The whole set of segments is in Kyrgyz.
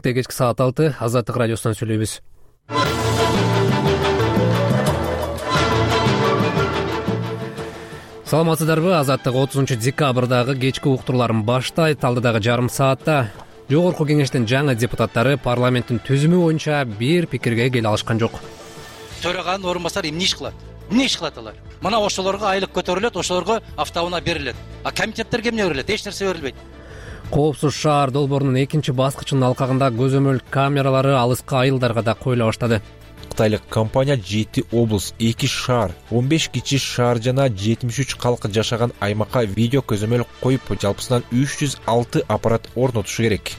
Кечки саат 6 Азаттык радиосунан сүйлөйбүз. Саламатсыздарбы? Азаттык 30 декабрдагы кечки уктурларын баштайт. Алдыдагы жарым саатта Жогорку кеңештин жаңы депутаттары парламенттин түзүмү боюнча бир пикирге келе алышкан жок. Төраганын орун басары эмне иш кылат? Эмне иш кылат алар? Мына ошолорго айлык көтөрүлөт, ошолорго автоунаа берилет. А комитеттерге эмне берилет? Эч нерсе берилбейт. Коопсуз шаар долбоорунун экинчи баскычынын алкагында көзөмөл камералары алыскы айылдарга да коюла баштады. Кытайлык компания 7 облус, 2 шаар, 15 кичи шаар жана 73 калк жашаган аймакка видео көзөмөл коюп, жалпысынан 306 аппарат орнотушу керек.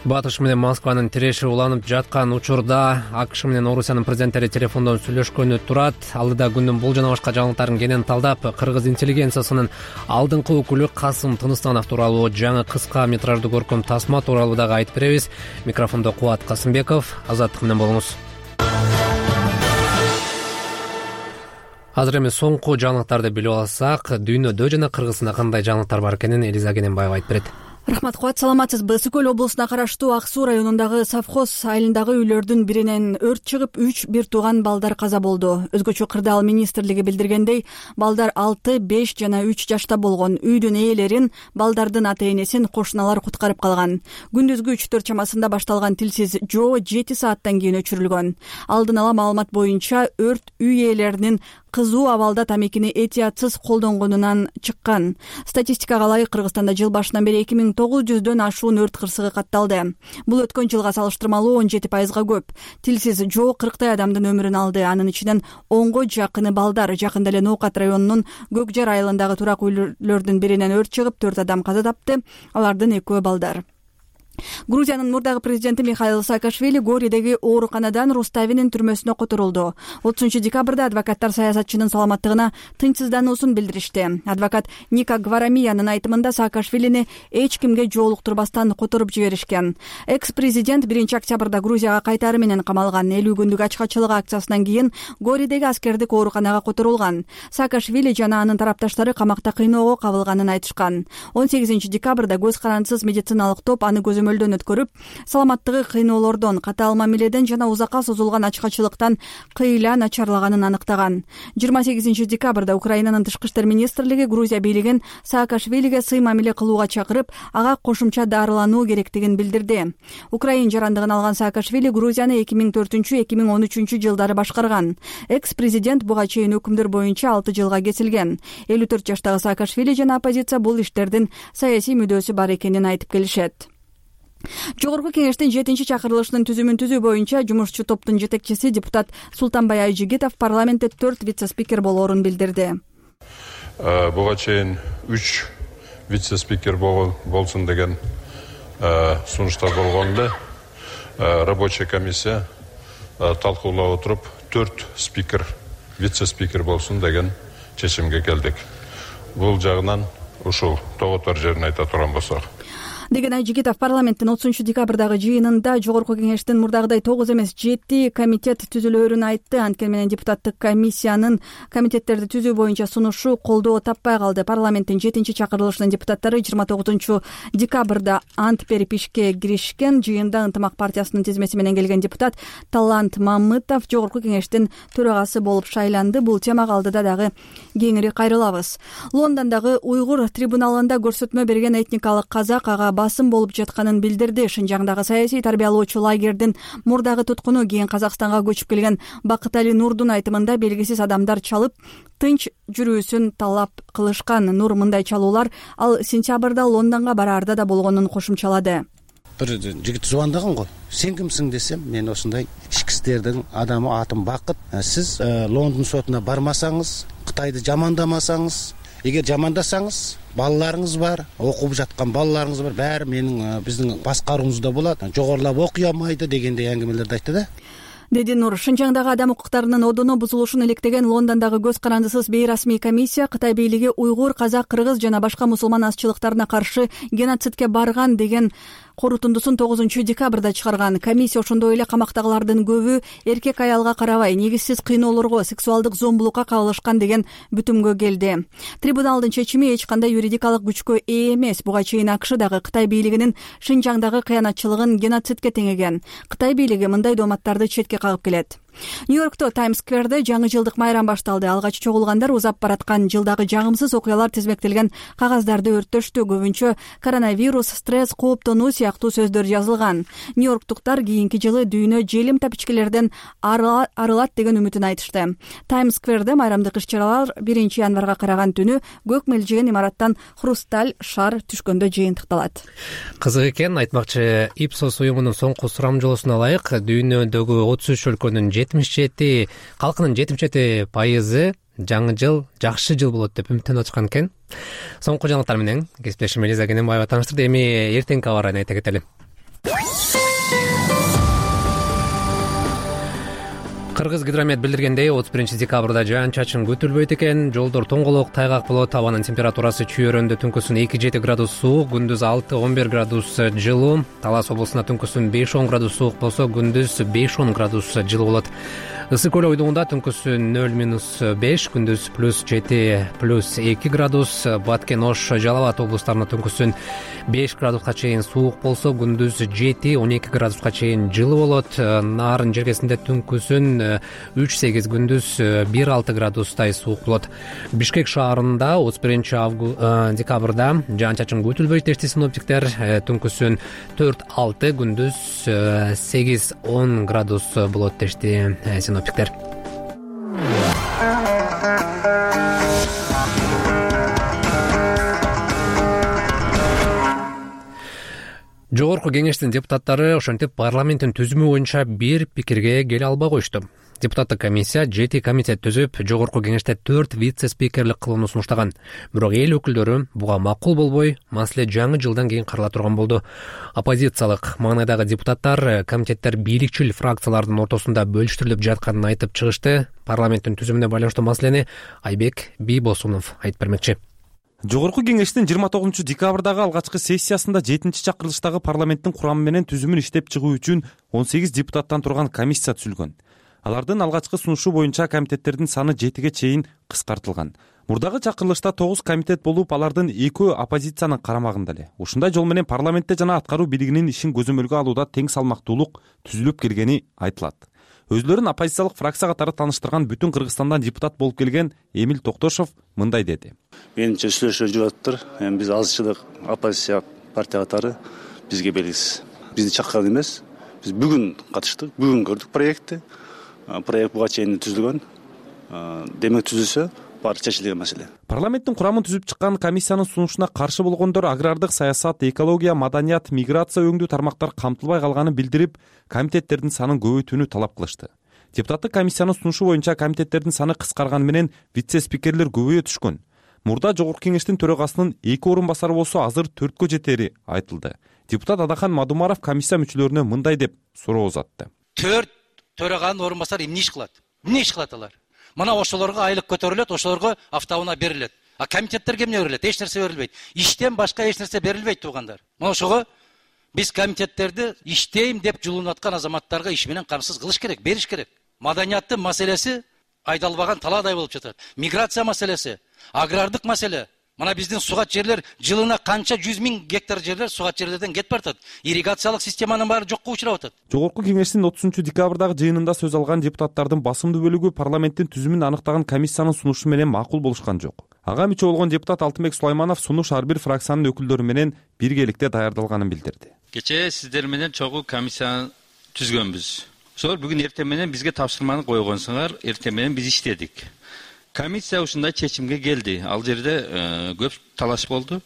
Батыш менен Москванын тиреши уланып жаткан учурда АКШ менен Орусиянын президенттери телефондон сүйлөшкөнү турат. Алдыда күндүн бул жана башка жаңылыктарын кенен талдап, кыргыз интеллигенциясынын алдыңкы өкүлү Касым Тыныстанов тууралуу жаңы кыска метраждуу көркөм тасма тууралуу дагы айтып беребиз. Микрофондо Кубат Касымбеков. Азаттык менен болуңуз. Азыр эми соңку жаңылыктарды билип алсак, дүйнөдө жана Кыргызстанда кандай жаңылыктар бар экенин Элиза Кененбаева айтып берет. Рахмат, Кубат, саламатсызбы? Ысык көл облусуна караштуу Ак Суу районундагы совхоз айылындагы үйлөрдүн биринен өрт чыгып, 3 бир тууган балдар каза болду. Өзгөчө Кырдаал министрлиги билдиргендей, балдар 6, 5 жана 3 жашта болгон. Үйдүн ээлерин, балдардын ата-энесин кошуналар куткарып калган. Күндүзгү 3-4 чамасында башталган тилсиз жоо 7 сааттан кийин өчүрүлгөн. Алдын ала маалымат боюнча өрт үй ээлеринин кызуу абалда тамекини этиятсыз колдонгонунан чыккан. Статистикага ылайык Кыргызстанда жыл башынан бери 2900дөн ашуун өрт кырсыгы катталды. Бул өткөн жылга салыштырмалуу 17%га көп. Тилсиз жоо 40 адамдын өмүрүн алды. Анын ичинен 10го жакыны балдар. Жакында эле Ноокат районунун Көкжар айылындагы турак үйлөрдүн биринен өрт чыгып, 4 адам каза тапты. Алардын 2 балдар. Грузиянын мурдагы президенти Михаил Саакашвили Горидеги ооруканадан Руставинин түрмөсүнө которулду. 30 декабрда адвокаттар саясатчынын саламаттыгына тынчсыздануусун билдиришти. Адвокат Ника Гварамиянын айтымында Саакашвилини эч кимге жоолуктурбастан которуп жиберишкен. Экс-президент 1-октябрда Грузияга кайтары менен камалган. 50 күндүк ачкачылык акциясынан кийин Горидеги аскердик ооруканага которулган. Саакашвили жана анын тарапташтары камакта кыйноого кабылганын айтышкан. 18 декабрда көз карандысыз медициналык топ аны көзөмөлдөн өткөрүп, саламаттыгы кыйноолордон, катаал мамиледен жана узакка созулган ачкачылыктан кыйла начарлаганын аныктаган. 28 декабрда Украинанын тышкы иштер министрлиги Грузия бийлигин Саакашвилиге сый мамиле кылууга чакырып, ага кошумча дарылануу керектигин билдирди. Украин жарандыгын алган Саакашвили Грузияны 2004-2013 жылдары башкарган. Экс-президент буга чейин өкүмдөр боюнча 6 жылга кесилген. 54 жаштагы Саакашвили жана оппозиция бул иштердин саясий мүдөөсү бар экенин айтып келишет. Жогорку кеңештин 7-чакырылышынын түзүмүн түзүү боюнча жумушчу топтун жетекчиси депутат Султанбай Айжигитов парламентте 4 вице-спикер болоорун билдирди. Буга чейин 3 вице-спикер болсун деген сунуштар болгон эле. Рабочая комиссия талкуулап отуруп 4 спикер, вице-спикер болсун деген чечимге келдик. Бул жагынан ушул тоготор жерин айта турган болсок. Деген Айжигитов парламенттин 30 декабрдагы жыйынында Жогорку кеңештин мурдагыдай 9 эмес 7 комитет түзүлөөрүн айтты. Анткени менен депутаттык комиссиянын комитеттерди түзүү боюнча сунушу колдоо таппай калды. Парламенттин 7-чакырылышынын депутаттары 29 декабрда ант берип ишке киришкен. Жыйында Ынтымак партиясынын тизмеси менен келген депутат Талант Мамытов Жогорку кеңештин төрагасы болуп шайланды. Бул темага алдыда дагы кеңири кайрылабыз. Лондондогу уйгур трибуналында көрсөтмө берген этникалык казак ага басым болуп жатканын билдирди. Шынжаңдагы саясий тарбиялоочу лагердин мурдагы туткуну кийин Казакстанга көчүп келген Бакытали Нурдун айтымында белгисиз адамдар чалып, тынч жүрүүсүн талап кылышкан. Нур мындай чалуулар ал сентябрда Лондонго бараарда да болгонун кошумчалады. Бир жигит звондаган го. Сен кимсиң десем, мен осундай ички ишттердин адамы, атым Бакыт. Сиз Лондон сотуна бармасаңыз, Кытайды жамандамасаңыз, эгер жамандасаңыз, балаларыңыз бар, окуп жаткан балаларыңыз бар, баары менин биздин башкаруубузда болот. Жогорулап окуй алмайды дегендей әңгимелерди айтты да. Деди Нур. Шынжаңдагы адам укуктарынын одуну бузулушун иликтеген Лондондогу көз карандысыз бейрасмий комиссия Кытай бийлиги уйгур, казак, кыргыз жана башка мусулман азчылыктарына каршы геноцидке барган деген корутундусун 9 декабрда чыгарган. Комиссия ошондой эле камактагылардын көбү эркек аялга карабай негизсиз кыйноолорго, сексуалдык зомбулукка кабылышкан деген бүтүмгө келди. Трибуналдын чечими эч кандай юридикалык күчкө ээ эмес. Буга чейин АКШ дагы Кытай бийлигинин Шинжаңдагы кыянатчылыгын геноцидке теңеген. Кытай бийлиги мындай дооматтарды четке кагып келет. Нью-Йоркто Таймс-скверде жаңы жылдык майрам башталды. Алгач чогулгандар узап бараткан жылдагы жагымсыз окуялар тизмектелген кагаздарды өрттөштү. Көбүнчө коронавирус, стресс, кооптонуу сыяктуу сөздөр жазылган. Нью-Йорктуктар кийинки жылы дүйнө желим тапичкелерден арылат деген үмүтүн айтышты. Таймс-скверде майрамдык иш-чаралар 1-январга караган түнү көк мелжеген имараттан хрусталь шар түшкөндө жыйынтыкталат. Кызык экен, айтмакчы, Ipsos уюмунун соңку сурамжылоосуна ылайык дүйнөдөгү 33 өлкөнүн 77 калкынын 77% жаңы жыл жакшы жыл болот деп үмүттөнүп атышкан экен. Соңку жаңылыктар менен кесиптешим Элиза Кененбаева тааныштырды. Эми эртеңки абарын айта кетели. Кыргыз гидромет билдиргендей 31-декабрда жаан-чачын күтүлбөйт экен. Жолдор тоңголок, тайгак болот. Абанын температурасы чүйөрөндө түнкүсүн 2-7 градус суук, күндүз 6-11 градус жылуу. Талас облусунда түнкүсүн 5-10 градус суук болсо, күндүз 5-10 градус жылуу болот. Ысык көл ойдугунда түнкүсүн 0-5, күндүз +7 +2 градус. Баткен, Ош, Жалал Абад облустарында түнкүсүн 5 градуска чейин суук болсо, күндүз 7-12 градуска чейин жылуу болот. Нарын жергесинде түнкүсүн 3-8, күндүз 1-6 градустай суук болот. Бишкек шаарында 31-декабрда жаан-чачын күтүлбөйт дешти синоптиктер. Түнкүсүн 4-6, күндүз 8-10 градус болот дешти синоптиктер. Жогорку кеңештин депутаттары ошентип парламенттин түзүмү боюнча бир пикирге келе албай коюшту. Депутаттык комиссия 7 комитет түзүп, жогорку кеңеште 4 вице-спикерлик кылууну сунуштаган. Бирок эл өкүлдөрү буга макул болбой, маселе жаңы жылдан кийин карала турган болду. Оппозициялык маанайдагы депутаттар комитеттер бийликчил фракциялардын ортосунда бөлүштүрүлүп жатканын айтып чыгышты. Парламенттин түзүмүнө байланыштуу маселени Айбек Бийбосунов айтып бермекчи. Жогорку кеңештин 29-декабрдагы алгачкы сессиясында 7-чакырылыштагы парламенттин курамы менен түзүмүн иштеп чыгуу үчүн 18 депутаттан турган комиссия түзүлгөн. Алардын алгачкы сунушу боюнча комитеттердин саны 7ге чейин кыскартылган. Мурдагы чакырылышта 9 комитет болуп, алардын 2 оппозициянын карамагында эле. Ушундай жол менен парламентте жана аткаруу бийлигинин ишин көзөмөлгө алууда тең салмактуулук түзүлүп келгени айтылат. Өзлөрүн оппозициялык фракция катары тааныштырган бүтүн Кыргызстандан депутат болуп келген Эмил Токтошов мындай деди. Менимче сүйлөшүү жүрүптүр. Эми биз азчылык оппозиция партия катары бизге белгисиз. Бизди чакырган эмес. Биз бүгүн катыштык, бүгүн көрдүк проектти. Проект буга чейин түзүлгөн. Демек түзүлсө баары чечилген маселе. Парламенттин курамын түзүп чыккан комиссиянын сунушуна каршы болгондор агрардык саясат, экология, маданият, миграция өңдүү тармактар камтылбай калганын билдирип, комитеттердин санын көбөйтүүнү талап кылышты. Депутаттык комиссиянын сунушу боюнча комитеттердин саны кыскарганы менен вице-спикерлер көбөйө түшкөн. Мурда жогорку кеңештин төрагасынын 2 орун басары болсо, азыр 4кө жетери айтылды. Депутат Адахан Мадумаров комиссия мүчөлөрүнө мындай деп суроо узатты. 4 төраганын орун басары эмне иш кылат? Эмне иш кылат алар? Мына ошолорго айлык көтөрүлөт, ошолорго автоунаа берилет. А комитеттерге эмне берилет? Эч нерсе берилбейт. Иштен башка эч нерсе берилбейт туугандар. Мына ошого биз комитеттерди иштейм деп жулунуп аткан азаматтарга иш менен камсыз кылыш керек, бериш керек. Маданияттын маселеси айдалбаган талаадай болуп жатат. Миграция маселеси, агрардык маселе. Мына биздин сугат жерлер жылына канча 100 000 гектар жерлер сугат жерлерден кетип баратат. Ирригациялык системанын баары жокко учурап атат. Жогорку кеңештин 30-декабрдагы жыйынында сөз алган депутаттардын басымдуу бөлүгү парламенттин түзүмүн аныктаган комиссиянын сунушу менен макул болушкан жок. Ага мүчө болгон депутат Алтынбек Сулайманов сунуш ар бир фракциянын өкүлдөрү менен биргеликте даярдалганын билдирди. Кечээ сиздер менен чогуу комиссияны түзгөнбүз. Ошол бүгүн эртең менен бизге тапшырманы койгонсуңар, эртең менен биз иштедик. Комиссия ушундай чечимге келди. Ал жерде көп талаш болду.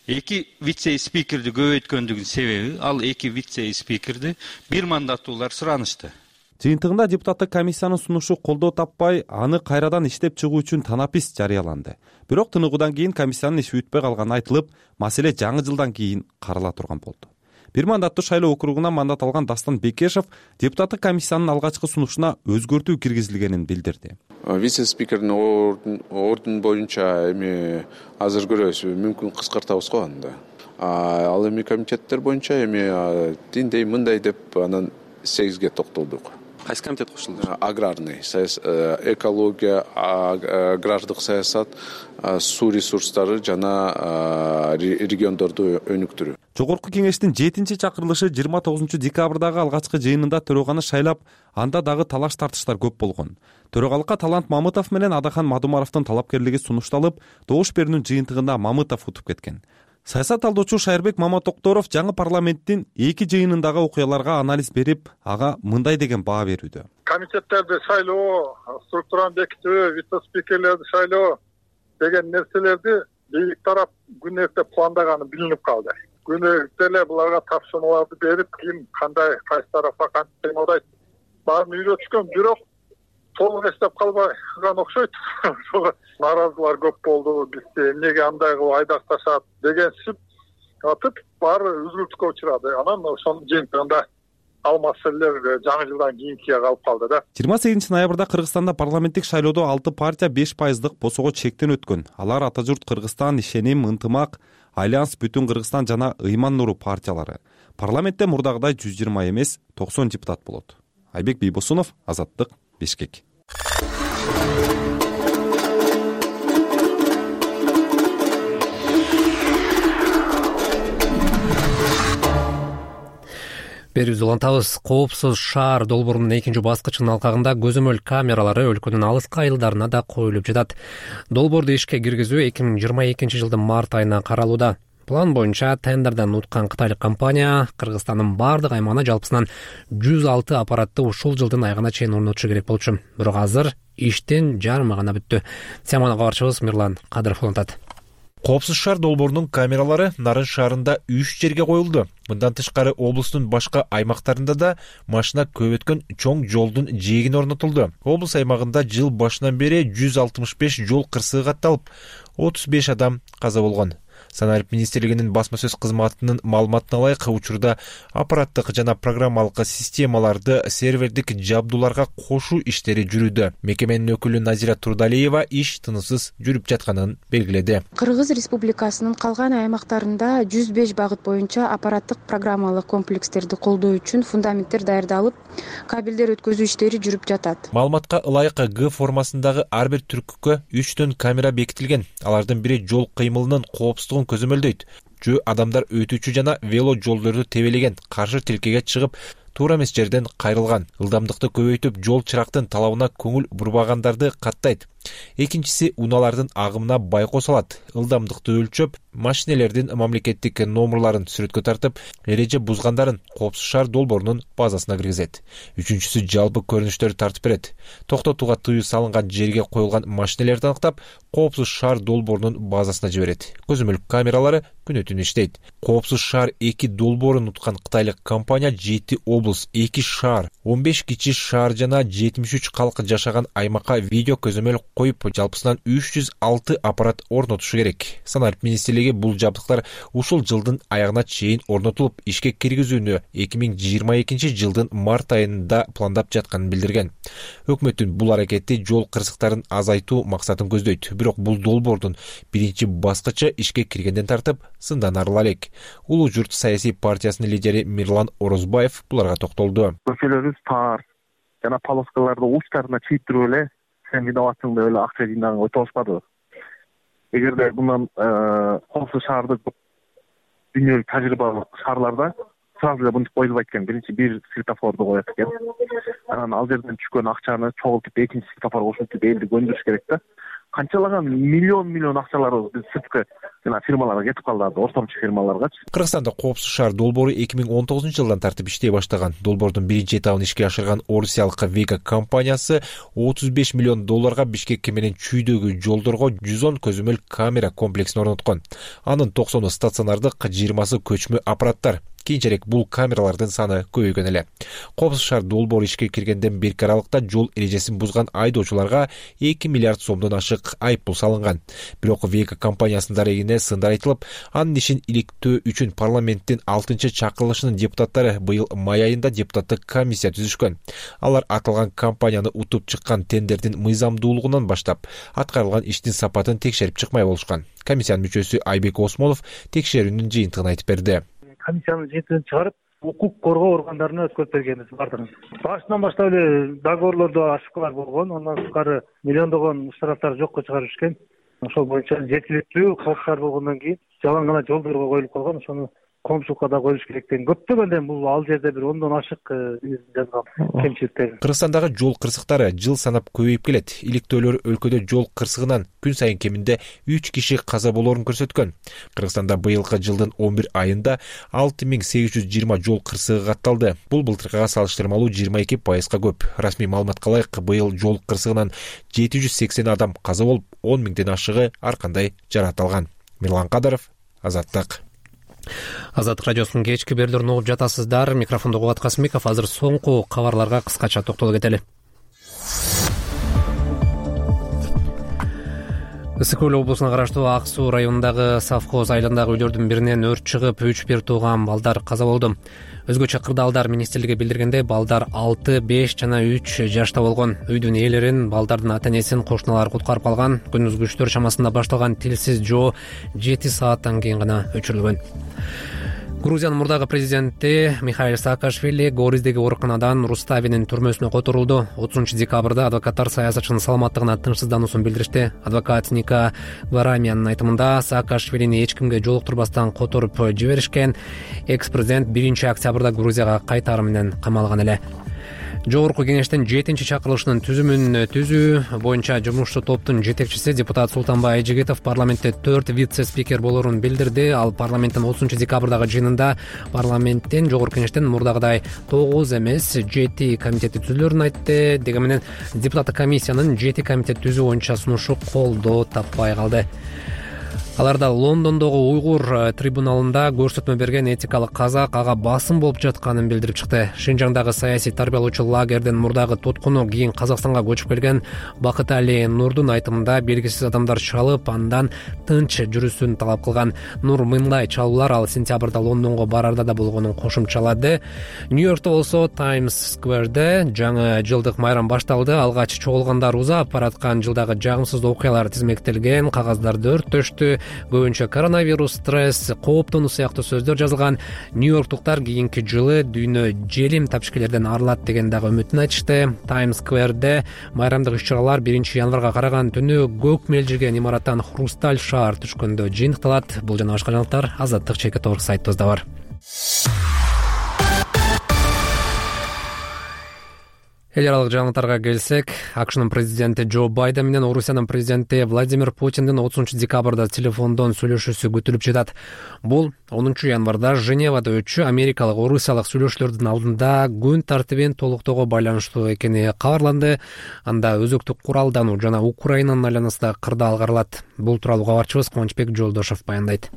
2 вице-спикерди көбөйткөндүгүнүн себеби ал 2 вице-спикерди бир мандаттуулар суранышты. Жыйынтыгында депутаттык комиссиянын сунушу колдоо таппай, аны кайрадан иштеп чыгуу үчүн танапис жарыяланды. Бирок тыныгуудан кийин комиссиянын иши бүтпөй калганы айтылып, маселе жаңы жылдан кийин карала турган болду. Бир мандаттуу шайлоо округунан мандат алган Дастан Бекешев депутаттык комиссиянын алгачкы сунушуна өзгөртүү киргизилгенин билдирди. Вице-спикердин ордун боюнча эми азыр көрөбүз, мүмкүн кыскартабыз го анда. Ал эми комитеттер боюнча эми тиндей мындай деп анан 8ге токтолдук. Кайсы комитет кошулду? Аграрный, экология, агрардык саясат, суу ресурстары жана региондорду өнүктүрүү. Жогорку кеңештин 7-чи чакырылышы 29 декабрдагы алгачкы жыйынында төрөганы шайлап, анда дагы талаш тартыштар көп болгон. Төрагалыкка Талант Мамытов менен Адахан Мадумаровдун талапкерлиги сунушталып, добуш берүүнүн жыйынтыгында Мамытов утуп кеткен. Саясат талдоочу Шайырбек Маматокторов жаңы парламенттин 2 жыйынындагы окуяларга анализ берип, ага мындай деген баа берүүдө. Комитеттерди шайлоо, структураны бекитүү, вице-спикерлерди шайлоо деген нерселерди бийлик тарап күн эрте пландаганы билинип калды. Күн эрте эле буларга тапшырмаларды берип, ким кандай кайсы тарапка кантип кыймылдайт баарын үйрөтүшкөн, бирок толук эстеп калбаган окшойт. Наразылар көп болду, бизди эмнеге андай кылып айдакташат дегенсип атып баары үзгүлтүккө учурады. Анан ошонун жыйынтыгында ал маселелер жаңы жылдан кийинкиге калып калды да. 28 ноябрда Кыргызстанда парламенттик шайлоодо 6 партия 5% босого чектен өткөн. Алар Ата журт Кыргызстан, Ишеним, Ынтымак, Альянс, Бүтүн Кыргызстан жана Ыйман Нуру партиялары. Парламентте мурдагыдай 120 эмес 90 депутат болот. Айбек Бийбосунов, Азаттык, Бишкек. Берүүбүздү улантабыз. Коопсуз шаар долбоорунун 2 баскычынын алкагында көзөмөл камералары өлкөнүн алыскы айылдарына да коюлуп жатат. Долбоорду ишке киргизүү 2022 жылдын март айына каралууда. План боюнча тендерден уткан кытайлык компания Кыргызстандын бардык аймагына жалпысынан 106 аппаратты ушул жылдын айына чейин орнотушу керек болчу. Бирок азыр иштин жарымы гана бүттү. Сиамана кабарчыбыз Мирлан Кадыров улантат. Коопсуз шаар долбоорунун камералары Нарын шаарында 3 жерге коюлду. Мындан тышкары облустун башка аймактарында да машина көп өткөн чоң жолдун жээгине орнотулду. Облус аймагында жыл башынан бери 165 жол кырсыгы катталып, 35 адам каза болгон. Саналык министрлигинин басма сөз кызматынын маалыматына ылайык, учурда аппараттык жана программалык системаларды сервердик жабдууларга кошуу иштери жүрүүдө. Мекеменин өкүлү Назира Турдалиева иш тынысыз жүрүп жатканын белгиледи. Кыргыз Республикасынын калган аймактарында 105 багыт боюнча аппараттык программалык комплекстерди колдоо үчүн фундаменттер даярдалып, кабелдер өткөзүү иштери жүрүп жатат. Маалыматка ылайык Г формасындагы ар бир түркүккө 3 камера бекитилген. Алардын бири жол кыймылынын коопсуздугун көзөмөлдөйт. Жөө адамдар өтүүчү жана вело жолдорду тебелеген, каршы тилкеге чыгып, туура эмес жерден кайрылган. Ылдамдыкты көбөйтүп, жол чырактын талабына көңүл бурбагандарды каттайт. Экинчиси унаалардын агымына байкоо салат. Ылдамдыкты өлчөп, машинелердин мамлекеттик номерларын сүрөткө тартып, эреже бузгандарын коопсуз шаар долбоорунун базасына киргизет. Үчүнчүсү жалпы көрүнүштөрдү тартып берет. Токтотууга тыюу салынган жерге коюлган машинелерди аныктап, коопсуз шаар долбоорунун базасына жиберет. Көзөмөл камералары күнү түнү иштейт. Коопсуз шаар 2 долбоорун уткан кытайлык компания 7 облус, 2 шаар, 15 кичи шаар жана 73 калк жашаган аймакка видео көзөмөл коюп, жалпысынан 306 аппарат орнотушу керек. Саналык министрлиги бул жабдыктар ушул жылдын аягына чейин орнотулуп, ишке киргизүүнү 2022 жылдын март айында пландап жатканын билдирген. Өкмөттүн бул аракети жол кырсыктарын азайтуу максатын көздөйт. Бирок бул долбоордун биринчи баскычы ишке киргенден тартып сындан арыла элек. Улуу журт саясий партиясынын лидери Мирлан Орозбаев буларга токтолду. Көчөлөрүбүз тар жана полоскаларды учтарына чийиптирип эле сен виноватсың деп эле акча жыйнаган өтө алышпады. Эгерде мындан коопсуз шаарды дүйнөлүк тажрыйбалык шаарларда сразу эле мынтип коюлбайт экен. Биринчи бир светофорду коет экен. Анан ал жерден түшкөн акчаны чогултуп экинчи светофорго кошулуп элди көндүрүш керек да. Канчалаган миллион акчалар биз сырткы жана фирмаларга кетип калды, ортомчу фирмаларгачы. Кыргызстанда коопсуз шаар долбоору 2019 жылдан тартып иштей баштаган. Долбоордун биринчи этабын ишке ашырган орусиялык Вега компаниясы $35 миллион Бишкек менен чүйдөгү жолдорго 110 көзөмөл камера комплексин орноткон. Анын 90 стационардык, 20 көчмө аппараттар. Кийинчерээк бул камералардын саны көбөйгөн эле. Коопсуз шаар долбоору ишке киргенден берки аралыкта жол эрежесин бузган айдоочуларга 2 миллиард сомдон ашык айыппул салынган. Бирок Вега компаниясынын дарегинде экенине сындар айтылып, анын ишин иликтөө үчүн парламенттин 6-чакырылышынын депутаттары быйыл май айында депутаттык комиссия түзүшкөн. Алар аталган компанияны утуп чыккан тендердин мыйзамдуулугунан баштап аткарылган иштин сапатын текшерип чыкмай болушкан. Комиссиянын мүчөсү Айбек Осмонов текшерүүнүн жыйынтыгын айтып берди. Комиссиянын жыйынтыгын чыгарып, укук коргоо органдарына өткөрүп бергенбиз бардыгын. Башынан баштап эле договорлордо ошибкалар болгон, андан тышкары миллиондогон штрафтар жокко чыгарып ишкен. Ошол боюнча жеткиликтүү калктар болгондон кийин жалаң гана жолдорго коюлуп калган, ошону коомчулукка да коюш керек деген көптөгөндөн бул ал жерде бир 10дон ашык жазган кемчиликтер. Кыргызстандагы жол кырсыктары жыл санап көбөйүп келет. Иликтөөлөр өлкөдө жол кырсыгынан күн сайын кеминде 3 киши каза болоорун көрсөткөн. Кыргызстанда быйылкы жылдын 11 айында 6820 жол кырсыгы катталды. Бул былтыркыга салыштырмалуу 22% көп. Расмий маалыматка ылайык быйыл жол кырсыгынан 780 адам каза болуп, 10 миңден ашыгы ар кандай жаракат алган. Мирлан Кадыров, Азаттык. Азаттык радиосунун кечки берүүлөрүн угуп жатасыздар. Микрофондо Кубат Касымбеков. Азыр соңку кабарларга кыскача токтолуп кетели. Ысык көл облусуна караштуу Ак Суу районундагы совхоз айылындагы үйлөрдүн биринен өрт чыгып, 3 бир тууган балдар каза болду. Өзгөчө Кырдаалдар министрлиги билдиргендей, балдар 6, 5 жана 3 жашта болгон. Үйдүн ээлерин, балдардын ата-энесин кошуналар куткарып калган. Күндүзгү 3 чамасында башталган тилсиз жоо 7 сааттан кийин гана өчүрүлгөн. Грузиянын мурдагы президенти Михаил Саакашвили Гориздеги ооруканадан Руставинин түрмөсүнө которулду. 30 декабрда адвокаттар саясатчынын саламаттыгына тынчсыздануусун билдиришти. Адвокат Ника Варамиянын айтымында Саакашвилини эч кимге жолуктурбастан которуп жиберишкен. Экс-президент 1 октябрда Грузияга кайтары менен камалган эле. Жогорку кеңештин 7-чакырылышынын түзүмүн түзүү боюнча жумушчу топтун жетекчиси депутат Султанбай Айжигитов парламентте 4 вице-спикер болоорун билдирди. Ал парламенттин 30 декабрдагы жыйынында парламенттин жогорку кеңештин мурдагыдай 9 эмес 7 комитети түзүлөрүн айтты. Дегенменен депутаттык комиссиянын 7 комитет түзүү боюнча сунушу колдоо таппай калды. Аларда Лондондогу уйгур трибуналында көрсөтмө берген этикалык казак ага басым болуп жатканын билдирип чыкты. Шинжаңдагы саясий тарбиялоочу лагердин мурдагы туткуну кийин Казакстанга көчүп келген Бакытали Нурдун айтымында белгисиз адамдар чалып, андан тынч жүрүшүн талап кылган. Нур мындай чалуулар ал сентябрда Лондонго барарда да болгонун кошумчалады. Нью-Йоркто болсо Times Square'де жаңы жылдык майрам башталды. Алгач чогулгандар узап бараткан жылдагы жагымсыз окуялар тизмектелген, кагаздарды өрттөштү. Көбүнчө коронавирус, стресс, кооптонуу сыяктуу сөздөр жазылган. Нью-Йорктуктар кийинки жылы дүйнө желим тапшкелерден арылат деген дагы үмүтүн айтышты. Times Square'де майрамдык иш-чаралар 1 январга караган түнү көк мелжирген имараттан хрусталь шаар түшкөндө жыйынтыкталат. Бул жана башка жаңылыктар Азаттык ЧК сайтыбызда бар. Эл аралык жаңылыктарга келсек, АКШнын президенти Джо Байден менен Орусиянын президенти Владимир Путиндин 30 декабрда телефондон сүйлөшүүсү күтүлүп жатат. Бул 10 январда Женевада өтчү америкалык орусиялык сүйлөшүүлөрдүн алдында күн тартибин толуктоого байланыштуу экени кабарланды. Анда өзөктүк куралдануу жана Украинанын айланасындагы кырдаал каралат. Бул тууралуу кабарчыбыз Кубанычбек Жолдошов баяндайт.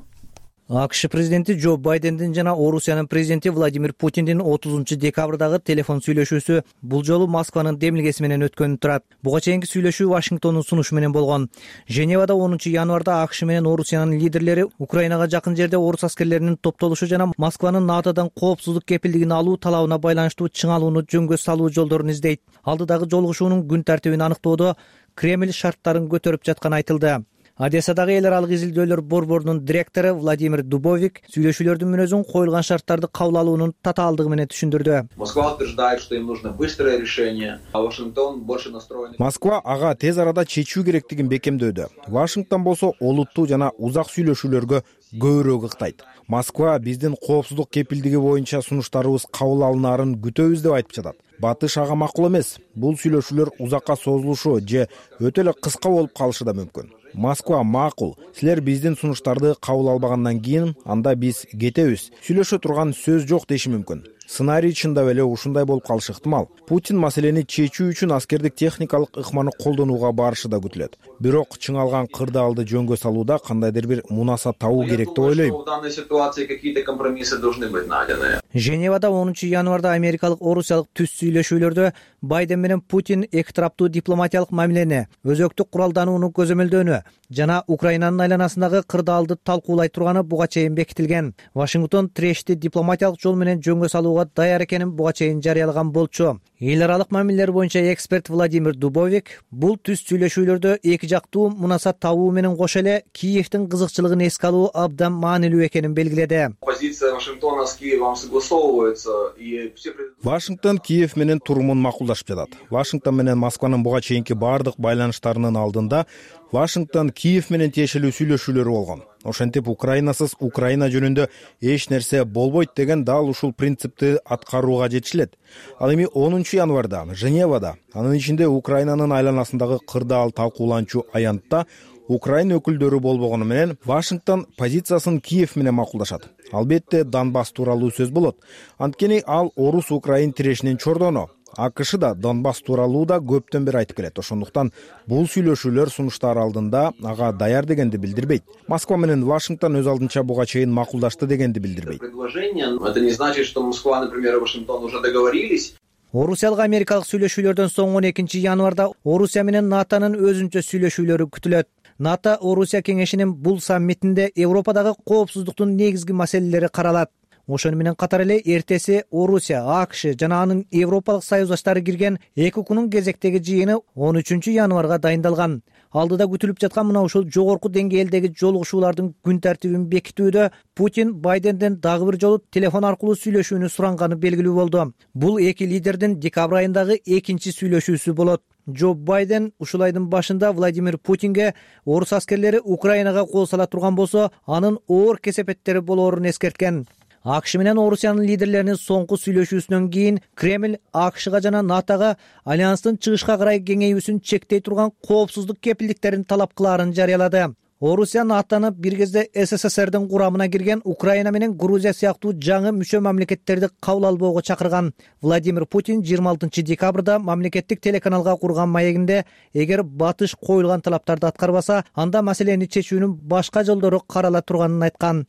АКШ президенти Джо Байдендин жана Орусиянын президенти Владимир Путиндин 30 декабрдагы телефон сүйлөшүүсү бул жолу Москванын демилгеси менен өткөнү турат. Буга чейинки сүйлөшүү Вашингтондун сунушу менен болгон. Женевада 10 январда АКШ менен Орусиянын лидерлери Украинага жакын жерде орус аскерлеринин топтолушу жана Москванын НАТОдон коопсуздук кепилдигин алуу талабына байланыштуу чыңалууну жөнгө салуу жолдорун издейт. Алдыдагы жолугушуунун күн тартибин аныктоодо Кремль шарттарын көтөрүп жатканы айтылды. Одессадагы эл аралык изилдөөлөр борборунун директору Владимир Дубовик сүйлөшүүлөрдүн мүнөзүн коюлган шарттарды кабыл алуунун татаалдыгы менен түшүндүрдү. Москва утверждает, что им нужно быстрое решение, а Вашингтон больше настроен. Москва ага тез арада чечүү керектигин бекемдөөдө. Вашингтон болсо олуттуу жана узак сүйлөшүүлөргө көбүрөөк ыктайт. Москва биздин коопсуздук кепилдиги боюнча сунуштарыбыз кабыл алынаарын күтөбүз деп айтып жатат. Батыш ага макул эмес. Бул сүйлөшүүлөр узакка созулушу же өтө эле кыска болуп калышы да мүмкүн. Москва макул. Силер биздин сунуштарды кабыл албагандан кийин анда биз кетебиз. Сүйлөшө турган сөз жок деши мүмкүн. Сценарий чындап эле ушундай болуп калышы ыктымал. Путин маселени чечүү үчүн аскердик техникалык ыкманы колдонууга барышы да күтүлөт. Бирок чыңалган кырдаалды жөнгө салууда кандайдыр бир мунаса табуу керек деп ойлойм. В данной ситуации какие-то компромиссы должны быть найдены. Женевада 10 январда америкалык орусиялык түз сүйлөшүүлөрдө Байден менен Путин эки тараптуу дипломатиялык мамилени, өзөктүк куралданууну көзөмөлдөөнү жана Украинанын айланасындагы кырдаалды талкуулай турганы буга чейин бекитилген. Вашингтон тирешти дипломатиялык жол менен жөнгө салууга даяр экенин буга чейин жарыялаган болчу. Эл аралык мамилелер боюнча эксперт Владимир Дубовик бул түз сүйлөшүүлөрдө эки жактуу мунасат табуу менен кошо эле Киевдин кызыкчылыгын эске алуу абдан маанилүү экенин белгиледи. Позиция Вашингтона с Киевом согласовывается и все. Вашингтон Киев менен турумун макулдашып жатат. Вашингтон менен Москванын буга чейинки баардык байланыштарынын алдында Вашингтон Киев менен тиешелүү сүйлөшүүлөрү болгон. Ошентип Украинасыз Украина жөнүндө эч нерсе болбойт деген дал ушул принципти аткарууга жетишилет. Ал эми 10 январда Женевада, анын ичинде Украинанын айланасындагы кырдаал талкууланчу аянтта Украина өкүлдөрү болбогону менен Вашингтон позициясын Киев менен макулдашат. Албетте Донбасс тууралуу сөз болот. Анткени ал орус-украин тирешинин чордону. АКШ да Донбасс тууралуу да көптөн бери айтып келет. Ошондуктан бул сүйлөшүүлөр сунуштар алдында ага даяр дегенди билдирбейт. Москва менен Вашингтон өз алдынча буга чейин макулдашты дегенди билдирбейт. Это не значит, что Москва, например, и Вашингтон уже договорились. Орусиялык америкалык сүйлөшүүлөрдөн соң 12 январда Орусия менен НАТОнун өзүнчө сүйлөшүүлөрү күтүлөт. НАТО Орусия кеңешинин бул саммитинде Европадагы коопсуздуктун негизги маселелери каралат. Ошону менен катар эле эртеси Орусия, АКШ жана анын Европалык союздаштары кирген ЭКУКнун кезектеги жыйыны 13 январга дайындалган. Алдыда күтүлүп жаткан мына ушул жогорку деңгээлдеги жолугушуулардын күн тартибин бекитүүдө Путин Байденден дагы бир жолу телефон аркылуу сүйлөшүүнү суранганы белгилүү болду. Бул эки лидердин декабрь айындагы экинчи сүйлөшүүсү болот. Джо Байден ушул айдын башында Владимир Путинге орус аскерлери Украинага кол сала турган болсо, анын оор кесепеттери болоорун эскерткен. АКШ менен Орусиянын лидерлеринин соңку сүйлөшүүсүнөн кийин Кремль АКШга жана НАТОга альянстын чыгышка карай кеңейүүсүн чектей турган коопсуздук кепилдиктерин талап кылаарын жарыялады. Орусия НАТОну бир кезде СССРдин курамына кирген Украина менен Грузия сыяктуу жаңы мүчө мамлекеттерди кабыл албоого чакырган. Владимир Путин 26 декабрда мамлекеттик телеканалга курган маегинде эгер батыш коюлган талаптарды аткарбаса, анда маселени чечүүнүн башка жолдору карала турганын айткан.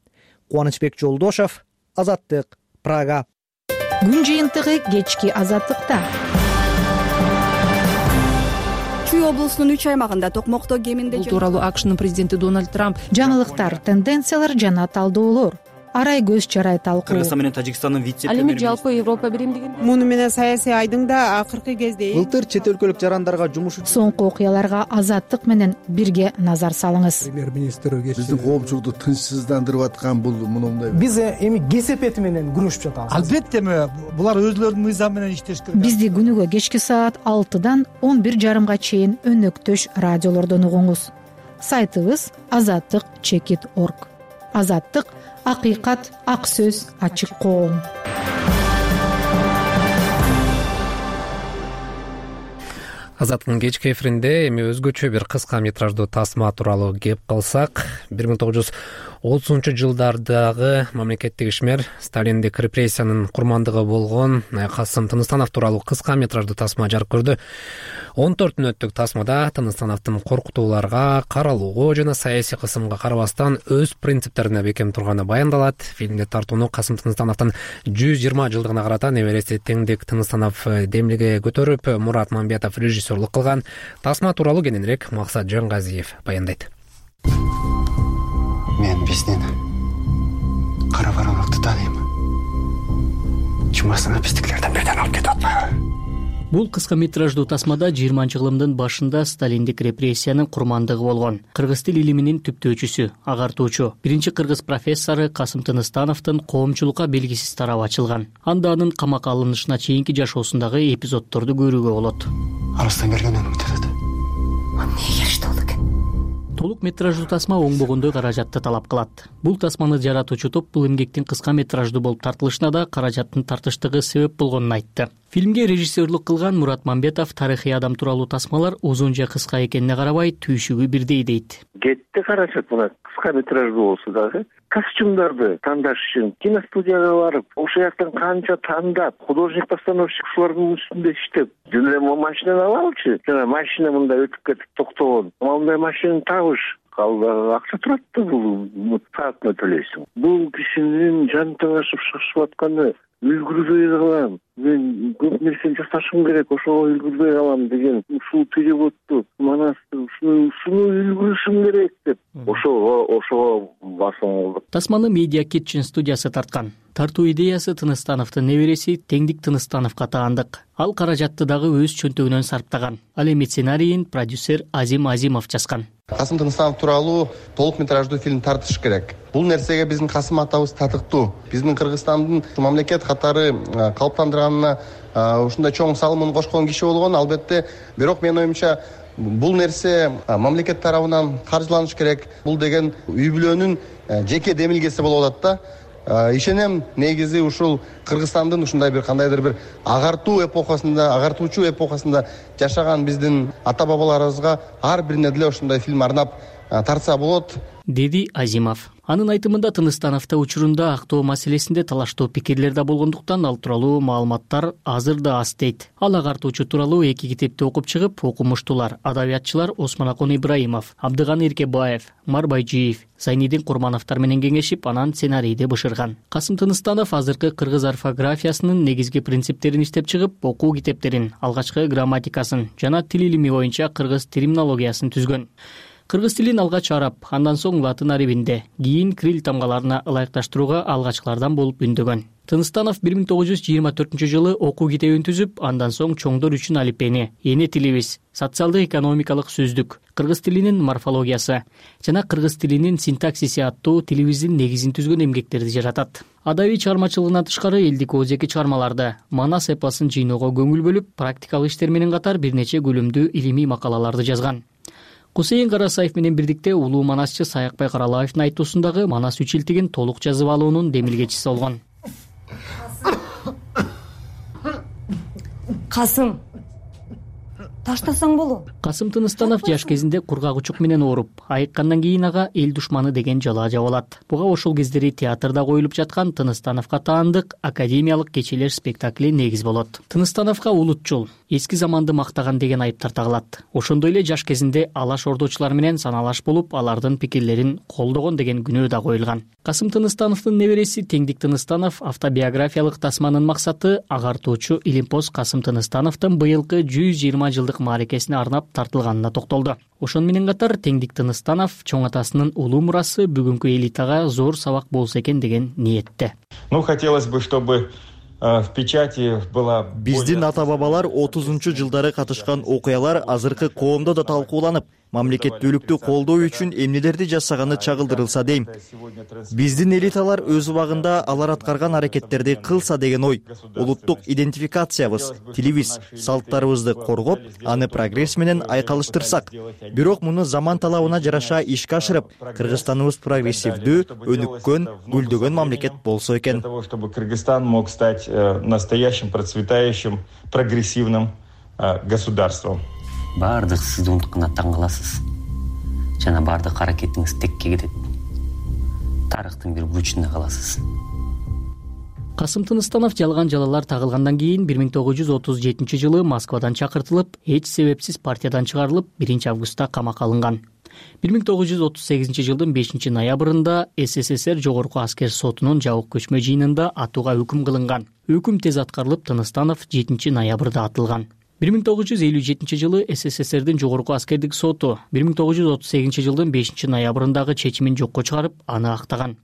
Кубанычбек Жолдошов, Азаттык, Прага. Күн жыйынтыгы кечки Азаттыкта. Чүй облусунун 3 аймагында токмокто кеминде бул тууралуу АКШнын президенти Дональд Трамп жаңылыктар, тенденциялар жана талдоолор арай көз чарай талкуу. Кыргызстан менен Тажикстандын вице-премьери. Ал эми жалпы Европа биримдигин. Муну менен саясий айдың да акыркы кезде былтыр чет өлкөлүк жарандарга жумуш үчүн соңку окуяларга Азаттык менен бирге назар салыңыз. Премьер-министр биздин коомчулукту тынчсыздандырып аткан бул мындай. Биз эми кесепети менен күрөшүп жатабыз. Албетте булар өзлөрүнүн мыйзамы менен иштеш керек. Бизди күнүгө кечки саат 6-дан 11:30 чейин өнөктөш радиолордон угуңуз. Сайтыбыз azattik.org. Азаттык — акыйкат, ак сөз, ачык коом. Азаттыктын кечки эфиринде эми өзгөчө бир кыска метраждуу тасма тууралуу кеп калсак, 1930-жылдардагы мамлекеттик ишмер Сталиндик репрессиянын курмандыгы болгон Касым Тыныстанов тууралуу кыска метраждуу тасма жарык көрдү. 14 мүнөттүк тасмада Тыныстановдун коркутууларга, каралууга жана саясий кысымга карабастан өз принциптерине бекем турганы баяндалат. Фильмде тартууну Касым Тыныстановдун 120 жылдыгына карата небереси Теңдик Тыныстанов демлиге көтөрүп, Мурат Мамбетов режиссерлук кылган. Тасма тууралуу кененирээк Максат Жангазиев баяндайт. Мен биздин кара бараңыкты тааныйм. Чумасына биздикилерден бирден алып кетип атпайбы? Бул кыска метраждуу тасмада 20-жылымдын башында Сталиндик репрессиянын курмандыгы болгон кыргыз тил илиминин түптөөчүсү, агартуучу, биринчи кыргыз профессору Касым Тыныстановдун коомчулукка белгисиз тарабы ачылган. Анда анын камакка алынышына чейинки жашоосундагы эпизоддорду көрүүгө болот. Алыстан келгенден үмүт этет. Эмне керишти болду экен? Толук метраждуу тасма оңбогондой каражатты талап кылат. Бул тасманы жаратуучу топ бул эмгектин кыска метраждуу болуп тартылышына да каражаттын тартыштыгы себеп болгонун айтты. Фильмге режиссерлук кылган Мурат Мамбетов тарыхый адам тууралуу тасмалар узун же кыска экенине карабай түйшүгү бирдей дейт. Кетти каражат мына кыска метраждуу болсо дагы костюмдарды тандаш үчүн киностудияга барып, ошол жактан канча тандап, художник-постановщик ушулардын үстүндө иштеп, жөн эле машинаны алабычы, жана машина мындай өтүп кетип токтогон. Мындай машинаны табыш акча турат да, бул саатына төлөйсүң. Бул кишинин жан таңашып шашып атканы үлгүрбөй калам. Мен көп нерсени жасашым керек, ошого үлгүрбөй калам деген ушул переводду, манасты ушуну үлгүрүшүм керек деп ошого басым кылдык. Тасманы Media Kitchen студиясы тарткан. Тартуу идеясы Тыныстановдун небереси Теңдик Тыныстановго таандык. Ал каражатты дагы өз чөнтөгүнөн сарптаган. Ал эми сценарийин продюсер Азим Азимов жазган. Касым Тыныстанов тууралуу толук метраждуу фильм тартыш керек. Бул нерсеге биздин Касым атабыз татыктуу. Биздин Кыргызстандын мамлекет катары калыптандырганына ушундай чоң салымын кошкон киши болгон, албетте. Бирок менин оюмча бул нерсе мамлекет тарабынан каржыланыш керек. Бул деген үй бүлөнүн жеке демилгеси болуп атат да. Ишенем, негизи ушул Кыргызстандын ушундай бир кандайдыр бир агартуучу эпохасында жашаган биздин ата бабаларыбызга ар бирине деле ушундай фильм арнап тартса болот, деди Азимов. Анын айтымында Тыныстановдо учурунда актоо маселесинде талаштуу пикирлер да болгондуктан ал тууралуу маалыматтар азыр да аз дейт. Ал агартуучу тууралуу 2 китепти окуп чыгып, окумуштуулар, адабиятчылар Осмонакон Ибраимов, Абдыганы Иркебаев, Умар Байжиев, Зайнидин Курмановдор менен кеңешип, анан сценарийди бышырган. Касым Тыныстанов азыркы кыргыз орфографиясынын негизги принциптерин иштеп чыгып, окуу китептерин, алгачкы грамматикасын жана тил илими боюнча кыргыз терминологиясын түзгөн. Кыргыз тилин алгач араб, андан соң латын арабинде, кийин крил тамгаларына ылайыкташтырууга алгачкылардан болуп үндөгөн. Тыныстанов 1924-жылы окуу китебин түзүп, андан соң чоңдор үчүн алипени, эне тилибиз, социалдык-экономикалык сөздүк, кыргыз тилинин морфологиясы жана кыргыз тилинин синтаксиси аттуу тилибиздин негизин түзгөн эмгектерди жаратат. Адабий чыгармачылыгынан тышкары элдик оозеки чыгармаларды, манас эпосун жыйноого көңүл бөлүп, практикалык иштер менен катар бир нече көлөмдүү илимий макалаларды жазган. Кусейин Карасаев менен бирдикте улуу манасчы Саякбай Каралаевдин айтуусундагы манас үч илтигин толук жазып алуунун демилгечиси болгон. Касым, таштасаң болот. Касым Тыныстанов жаш кезинде кургак учук менен ооруп, айыккандан кийин ага эл душманы деген жалаа жабылат. Буга ошол кездери театрда коюлуп жаткан Тыныстановго таандык академиялык кечелер спектакли негиз болот. Тыныстановго улутчул, эски заманды мактаган деген айыптар тагылат. Ошондой эле жаш кезинде алаш ордочулар менен саналаш болуп, алардын пикирлерин колдогон деген күнөө да коюлган. Касым Тыныстановдун небереси Теңдик Тыныстанов автобиографиялык тасманын максаты агартуучу Илимпоз Касым Тыныстановдун быйылкы 120 жылдык мааракесине арнап тартылганына токтолду. Ошон менен катар Теңдик Тыныстанов чоң атасынын улуу мурасы бүгүнкү элитага зор сабак болсо экен деген ниетте. Хотелось бы, чтобы в печати была... Биздин ата-бабалар 30-жылдары катышкан окуялар азыркы коомдо да талкууланып, мамлекеттүүлүктү колдоо үчүн эмнелерди жасаганы чагылдырылса дейм. Биздин элиталар өз убагында алар аткарган аракеттерди кылса деген ой. Улуттук идентификациябыз, тилибиз, салттарыбызды коргоп, аны прогресс менен айкалыштырсак. Бирок муну заман талабына жараша ишке ашырып, Кыргызстаныбыз прогрессивдүү, өнүккөн, гүлдөгөн мамлекет болсо экен. Для того, чтобы Кыргызстан мог стать настоящим, процветающим, прогрессивным государством. Баардык сизди унутканда таң каласыз. Жана баардык аракетиңиз текке кетет. Тарыхтын бир бурчунда каласыз. Касым Тыныстанов жалган жалалар тагылгандан кийин 1937-жылы Москвадан чакыртылып, эч себепсиз партиядан чыгарылып, 1-августта камакка алынган. 1938-жылдын 5-ноябрында СССР Жогорку аскер сотунун жабык көчмө жыйынында атууга өкүм кылынган. Өкүм тез аткарылып, Тыныстанов 7-ноябрда атылган. 1957-жылы СССРдин Жогорку аскердик соту 1938-жылдын 5-ноябрындагы чечимин жокко чыгарып, аны актаган.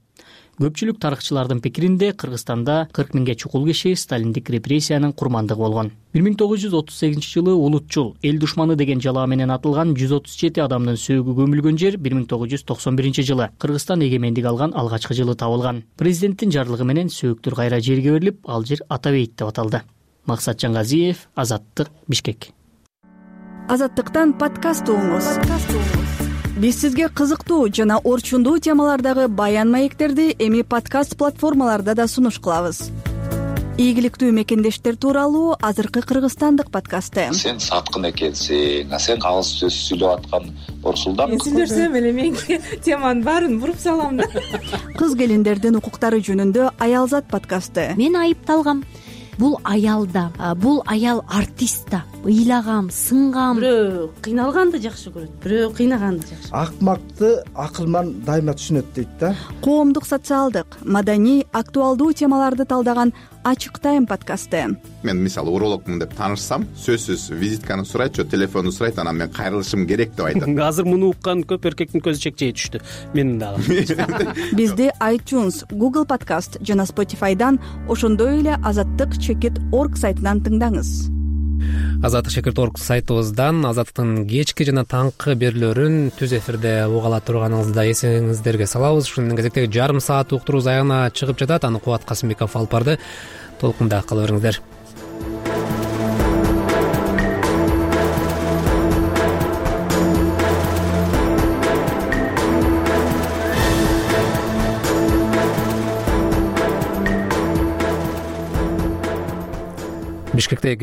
Көпчүлүк тарыхчылардын пикиринде Кыргызстанда 40 миңге чукул киши сталиндик репрессиянын курмандыгы болгон. 1938-жылы улутчул, эл душманы деген жалаа менен атылган 137 адамдын сөөгү көмүлгөн жер 1991-жылы Кыргызстан эгемендик алган алгачкы жылы табылган. Президенттин жарлыгы менен сөөктөр кайра жерге берилип, ал жер Атабейит деп аталды. Максат Жаңгазиев, Азаттык, Бишкек. Азаттыктан подкаст угуңуз. Биз сизге кызыктуу жана орчундуу темалардагы баян маектерди эми подкаст платформаларда да сунуш кылабыз. Ийгиликтүү мекендештер тууралуу азыркы кыргызстандык подкасты. Сен саткын экенсиң, сен кагыз сөз сүйлөп аткан Орсулдан. Мен сүйлөсөм эле мен теманын баарын буруп салам да. Кыз келиндердин укуктары жөнүндө Аялзат подкасты. Мен айыпталгам. Бул аялда, бул аял артист да. Ыйлагам, сынгам. Бирөө кыйналганды жакшы көрөт, бирөө кыйнаганды жакшы. Акмакты акылман дайыма түшүнөт дейт да. Коомдук, социалдык, маданий, актуалдуу темаларды талдаган ачык тайм подкасты. Мен мисалы урологмун деп таанышсам, сөзсүз визитканы сурайт же телефонду сурайт, анан мен кайрылышым керек деп айтат. Азыр муну уккан көп эркектин көзү чекчейе түштү. Менин дагы. Бизди iTunes, Google Podcast жана Spotify'дан, ошондой эле azattik.org сайтынан тыңдаңыз. Azattik.org сайтыбыздан Азаттыктын кечки жана таңкы берүүлөрүн түз эфирде уга ала турганыңызды эсиңиздерге салабыз. Ушунун кезектеги жарым саат уктурубуз аягына чыгып жатат. Аны Кубат Касымбеков алып барды. Толкунда кала бериңиздер. Бишкекте